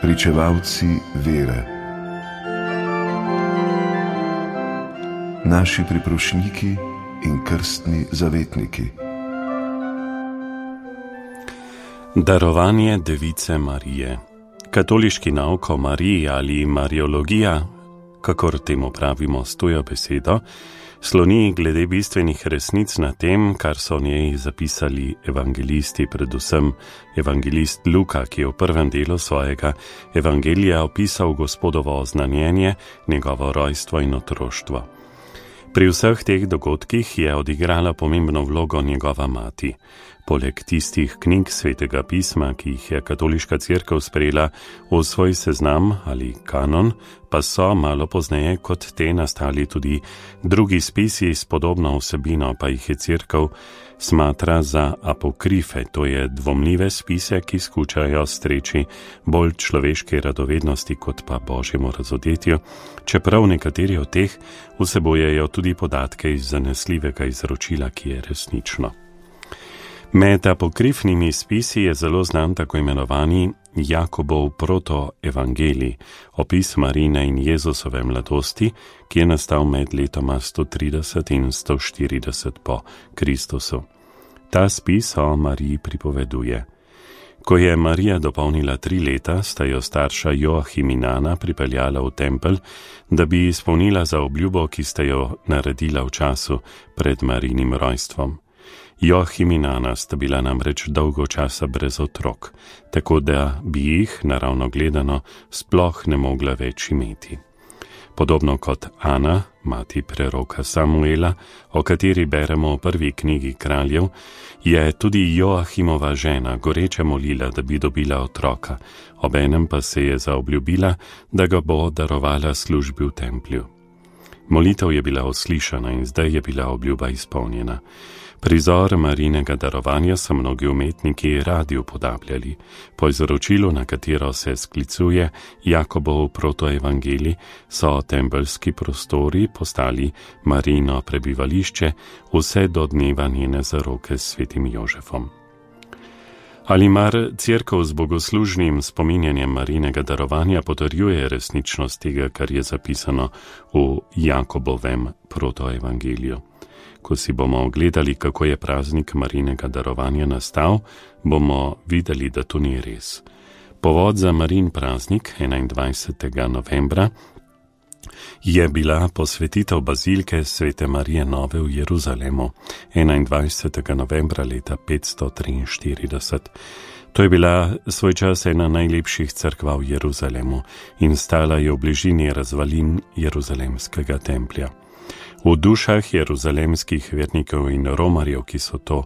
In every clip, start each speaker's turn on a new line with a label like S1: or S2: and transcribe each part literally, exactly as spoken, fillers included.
S1: pričevalci vere, naši priprošniki in krstni zavetniki.
S2: Darovanje Device Marije. Katoliški nauk o Mariji ali mariologija, kakor temu pravimo s tujo besedo, sloni glede bistvenih resnic na tem, kar so o njej zapisali evangelisti, predvsem evangelist Luka, ki je v prvem delu svojega evangelija opisal Gospodovo oznanjenje, njegovo rojstvo in otroštvo. Pri vseh teh dogodkih je odigrala pomembno vlogo njegova mati. Poleg tistih knjig Svetega pisma, ki jih je katoliška cerkev sprejela v svoj seznam ali kanon, pa so malo pozneje kot te nastali tudi drugi spisi s podobno vsebino, pa jih je cerkev smatra za apokrife, to je dvomljive spise, ki skušajo streči bolj človeške radovednosti kot pa božjemu razodetju, čeprav nekateri od teh vsebojejo tudi podatke iz zanesljivega izročila, ki je resnično. Med apokrifnimi spisi je zelo znan tako imenovani Jakobov protoevangelij, opis Marine in Jezusove mladosti, ki je nastal med letoma sto trideset in sto štirideset po Kristusu. Ta spis o Mariji pripoveduje: ko je Marija dopolnila tri leta, sta jo starša Joachim in Ana pripeljala v tempelj, da bi izpolnila zaobljubo, ki sta jo naredila v času pred Marijinim rojstvom. Joachim in Ana sta bila namreč dolgo časa brez otrok, tako da bi jih, naravno gledano, sploh ne mogla več imeti. Podobno kot Ana, mati preroka Samuela, o kateri beremo v prvi knjigi Kraljev, je tudi Joachimova žena goreče molila, da bi dobila otroka, obenem pa se je zaobljubila, da ga bo darovala službi v templju. Molitev je bila uslišana in zdaj je bila obljuba izpolnjena. Prizor Marijinega darovanja so mnogi umetniki radi upodabljali. Po izročilu, na katero se sklicuje Jakobov protoevangelij, so tempeljski prostori postali Marijino prebivališče vse do dneva njene zaroke s svetim Jožefom. Ali mar cerkev z bogoslužnim spominjanjem Marijinega darovanja potrjuje resničnost tega, kar je zapisano v Jakobovem protoevangeliju? Ko si bomo ogledali, kako je praznik Marijinega darovanja nastal, bomo videli, da to ni res. Povod za Marijin praznik, enaindvajsetega novembra, je bila posvetitev bazilike Svete Marije Nove v Jeruzalemu, enaindvajsetega novembra leta petsto triinštirideset. To je bila svoj čas ena najlepših cerkva v Jeruzalemu in stala je v bližini razvalin Jeruzalemskega templja. V dušah jeruzalemskih vernikov in romarjev, ki so to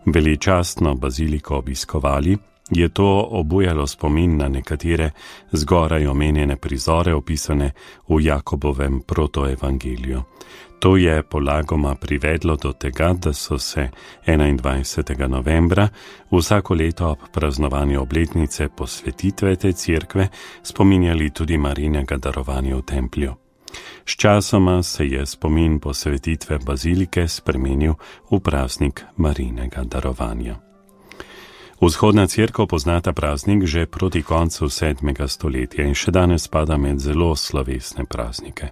S2: veličastno baziliko obiskovali, je to obujalo spomin na nekatere zgoraj omenjene prizore opisane v Jakobovem protoevangeliju. To je polagoma privedlo do tega, da so se enaindvajsetega novembra vsako leto ob praznovanju obletnice posvetitve te cerkve spominjali tudi Marijinega darovanja v templju. Sčasoma se je spomin posvetitve bazilike spremenil v praznik Marijinega darovanja. Vzhodna cerkev pozna ta praznik že proti koncu sedmega stoletja in še danes spada med zelo slovesne praznike.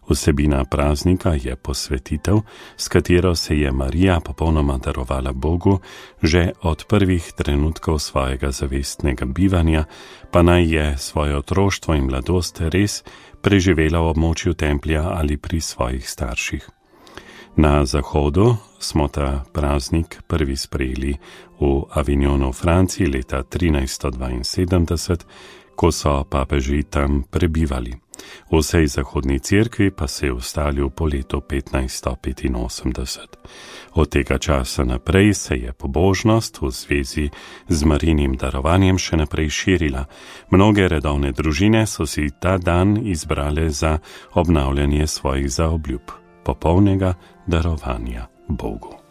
S2: Vsebina praznika je posvetitev, s katero se je Marija popolnoma darovala Bogu že od prvih trenutkov svojega zavestnega bivanja, pa naj je svoje otroštvo in mladost res preživela v območju templja ali pri svojih starših. Na zahodu smo ta praznik prvi sprejeli v Avignonu v Franciji leta trinajststo dvainsedemdeset, ko so papeži tam prebivali. V vsej zahodni cerkvi pa se je ustalil po letu petnajststo petinosemdeset. Od tega časa naprej se je pobožnost v zvezi z Marijinim darovanjem še naprej širila. Mnoge redovne družine so si ta dan izbrale za obnavljanje svojih zaobljub, popolnega darovanja Bogu.